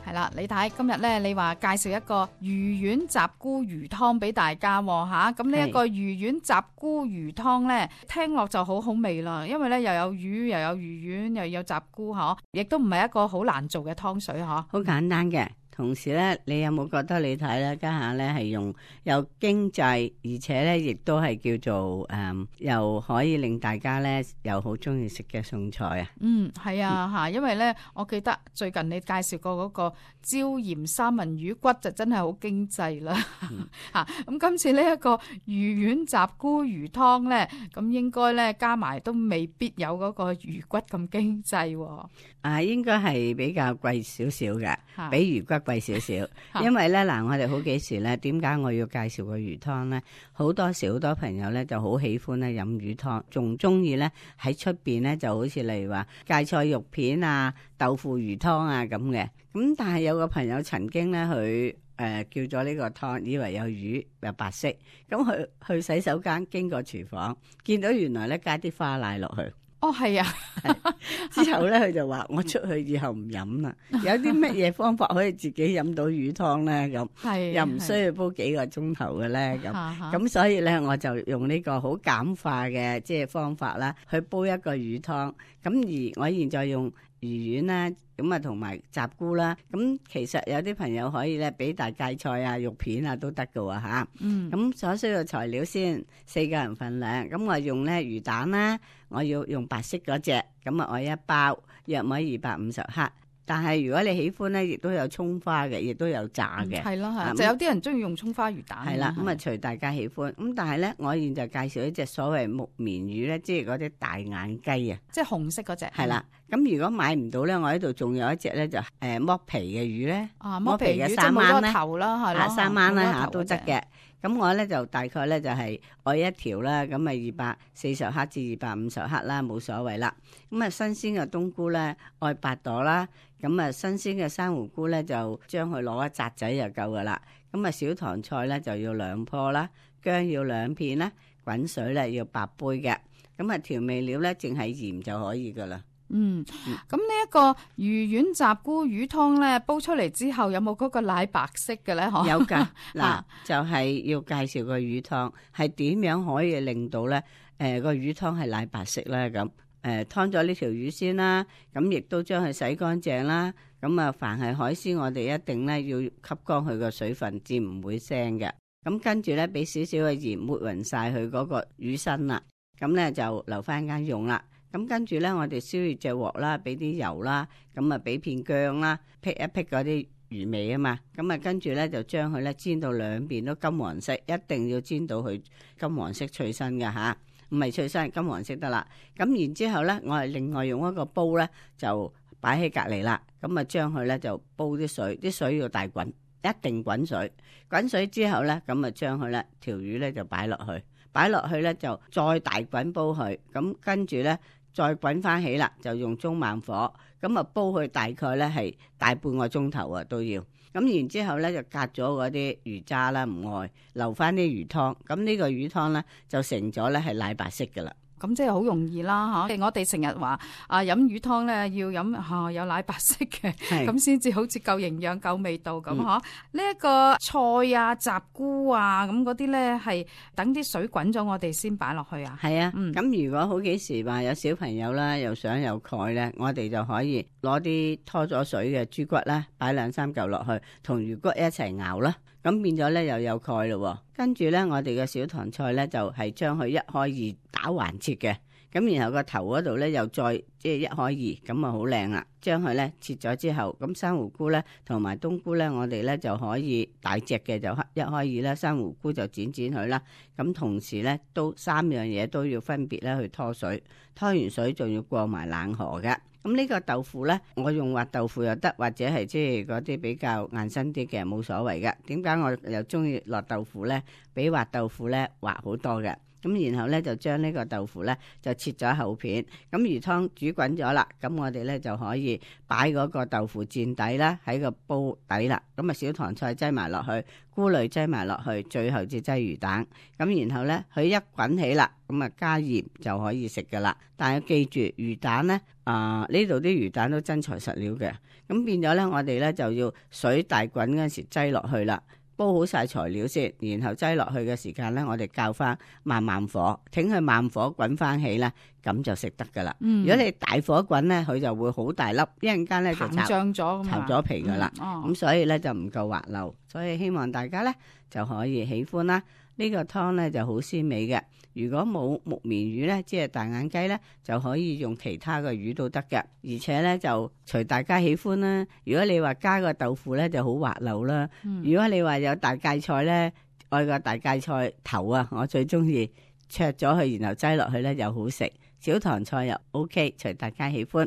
係啦，李太今日咧，你話介紹一個魚丸雜菇魚湯俾大家吓，咁呢一個魚丸雜菇魚湯咧，聽落就好好味啦，因為咧又有魚又有魚丸又有雜菇嗬，亦都唔係一個好難做嘅湯水嗬，好簡單嘅。同時咧，你有冇覺得你睇咧家下咧係用又經濟，而且咧亦都係叫做又可以令大家咧又好中意食嘅餸菜啊？係啊吓，因為咧我記得最近你介紹過嗰個椒鹽三文魚骨就真係好經濟啦吓。咁今次呢一個魚丸雜菇魚湯咧，咁應該咧加埋都未必有嗰個魚骨咁經濟。應該係比較貴少少嘅，比魚骨貴少少。因為咧嗱，我哋好幾時咧，點解我要介紹個魚湯咧？好多時好多朋友咧就好喜歡咧飲魚湯，仲中意咧喺出邊咧就好似例如話芥菜肉片啊、豆腐魚湯啊咁嘅。咁但係有個朋友曾經咧佢叫咗呢個湯，以為有魚有白色，咁佢去洗手間經過廚房，見到原來咧加啲花奶落去。哦，係啊，之後咧佢就話我出去以後唔飲啦。有啲乜嘢方法可以自己飲到魚湯咧？咁又唔需要煲幾個鐘頭嘅咧？咁所以咧我就用呢個好簡化嘅即係方法啦，去煲一個魚湯。咁而我現在用魚丸啦，咁啊同埋雜菇啦，咁其實有啲朋友可以咧俾大芥菜啊、肉片啊都得㗎喎吓。咁所需要材料先，4個人份量。咁我用咧魚蛋啦，我要用白色嗰隻，咁啊我一包，約莫250克。但係如果你喜歡咧，亦都有蔥花嘅，亦都有炸嘅。係咯係，就有啲人中意用蔥花魚蛋。係啦，咁啊隨大家喜歡。咁但係咧，我現在介紹一隻所謂木棉魚咧，即係嗰啲大眼雞啊，即係紅色嗰隻。係啦，咁如果買唔到咧，我喺度仲有一隻咧，就剝皮嘅魚咧。剝皮嘅三蚊咧，頭啦係咯，3蚊啦都得嘅。咁我咧就大概咧就係愛一條啦，咁啊240克至250克啦，冇所謂啦。咁啊新鮮嘅冬菇咧愛8朵啦，咁啊新鮮嘅珊瑚菇咧就將佢攞一紮仔就夠噶啦。咁啊小糖菜咧就要2棵啦，薑要2片啦，滾水咧要8杯嘅。咁啊調味料咧淨係鹽就可以噶啦。咁呢一個魚丸雜菇魚湯咧，煲出嚟之後有冇嗰個奶白色嘅咧？有噶，嗱就係要介紹個魚湯係點樣可以令到咧個魚湯係奶白色咧？咁劏咗呢條魚先啦，咁亦都將佢洗乾淨啦。咁啊，凡係海鮮，我哋一定咧要吸乾佢個水分，至唔會腥嘅。咁跟住咧，俾少少嘅鹽抹匀晒佢嗰個魚身啦。咁咧就留翻間用啦。咁跟住咧，我哋燒熱隻鑊啦，俾啲油啦，咁啊俾片薑啦，辟一辟嗰啲魚味啊嘛。咁啊跟住咧就將佢咧煎到兩邊都金黃色，一定要煎到佢金黃色脆身嘅吓，唔係脆身，金黃色得啦。咁然之後咧，我係另外用一個煲咧就擺喺隔籬啦。咁啊將佢咧就煲啲水，啲水要大滾，一定滾水。滾水之後咧，咁啊將佢咧條魚咧就擺落去，擺落去咧就再大滾煲佢。咁跟住咧。再滾翻起啦，就用中慢火，咁啊煲佢大概咧係大半個鐘頭啊都要。咁然之後咧就隔咗嗰啲魚渣啦，唔愛留翻啲魚湯。咁呢個魚湯咧就成咗咧係奶白色噶啦。咁即係好容易啦吓，我哋成日話飲魚湯咧要飲有奶白色嘅，咁先至好似夠營養夠味道咁嗬。呢一個菜啊、雜菇啊咁嗰啲咧係等啲水滾咗我哋先擺落去啊。係啊，咁如果好幾時話有小朋友啦，又想有鈣咧，我哋就可以攞啲拖咗水嘅豬骨啦，擺2-3嚿落去，同魚骨一齊熬啦。咁變咗咧又有鈣咯，跟住咧我哋嘅小糖菜咧就係將佢1開2打橫切嘅，咁然後個頭嗰度咧又再即係1開2，咁啊好靚啦。將佢咧切咗之後，咁珊瑚菇咧同埋冬菇咧，我哋咧就可以大隻嘅就1開2啦，珊瑚菇就剪佢啦。咁同時咧都3樣嘢都要分別咧去拖水，拖完水仲要過埋冷河嘅。咁呢個豆腐咧，我用滑豆腐又得，或者係即係嗰啲比較硬身啲嘅冇所謂嘅。點解我又中意落豆腐咧？比滑豆腐咧滑好多嘅。咁然後咧就將呢個豆腐咧就切咗厚片。咁魚湯煮滾咗啦，咁我哋咧就可以擺嗰個豆腐墊底啦，喺個煲底啦。咁啊小棠菜擠埋落去，菇類擠埋落去，最後至擠魚蛋。咁然後咧佢一滾起啦，咁啊加鹽就可以食噶啦。但係記住魚蛋咧，呢度啲魚蛋都真材實料嘅。咁變咗咧，我哋咧就要水大滾嗰陣時擠落去啦。煲好晒材料先，然後擠落去嘅時間咧，我哋較翻慢慢火，挺佢慢火滾翻起咧，咁就食得噶啦。如果你大火滾咧，佢就會好大粒，一陣間咧就膨脹咗，巢咗皮噶啦。咁所以咧就唔夠滑溜，所以希望大家咧就可以喜歡啦。呢個湯咧就好鮮美嘅。如果冇木棉魚咧，即係大眼雞咧，就可以用其他嘅魚都得嘅。而且咧就隨大家喜歡啦。如果你話加個豆腐咧就好滑溜啦。如果你話有大芥菜咧，愛個大芥菜頭啊，我最中意灼咗佢，然後擠落去咧又好食。小棠菜又 OK，隨大家喜歡。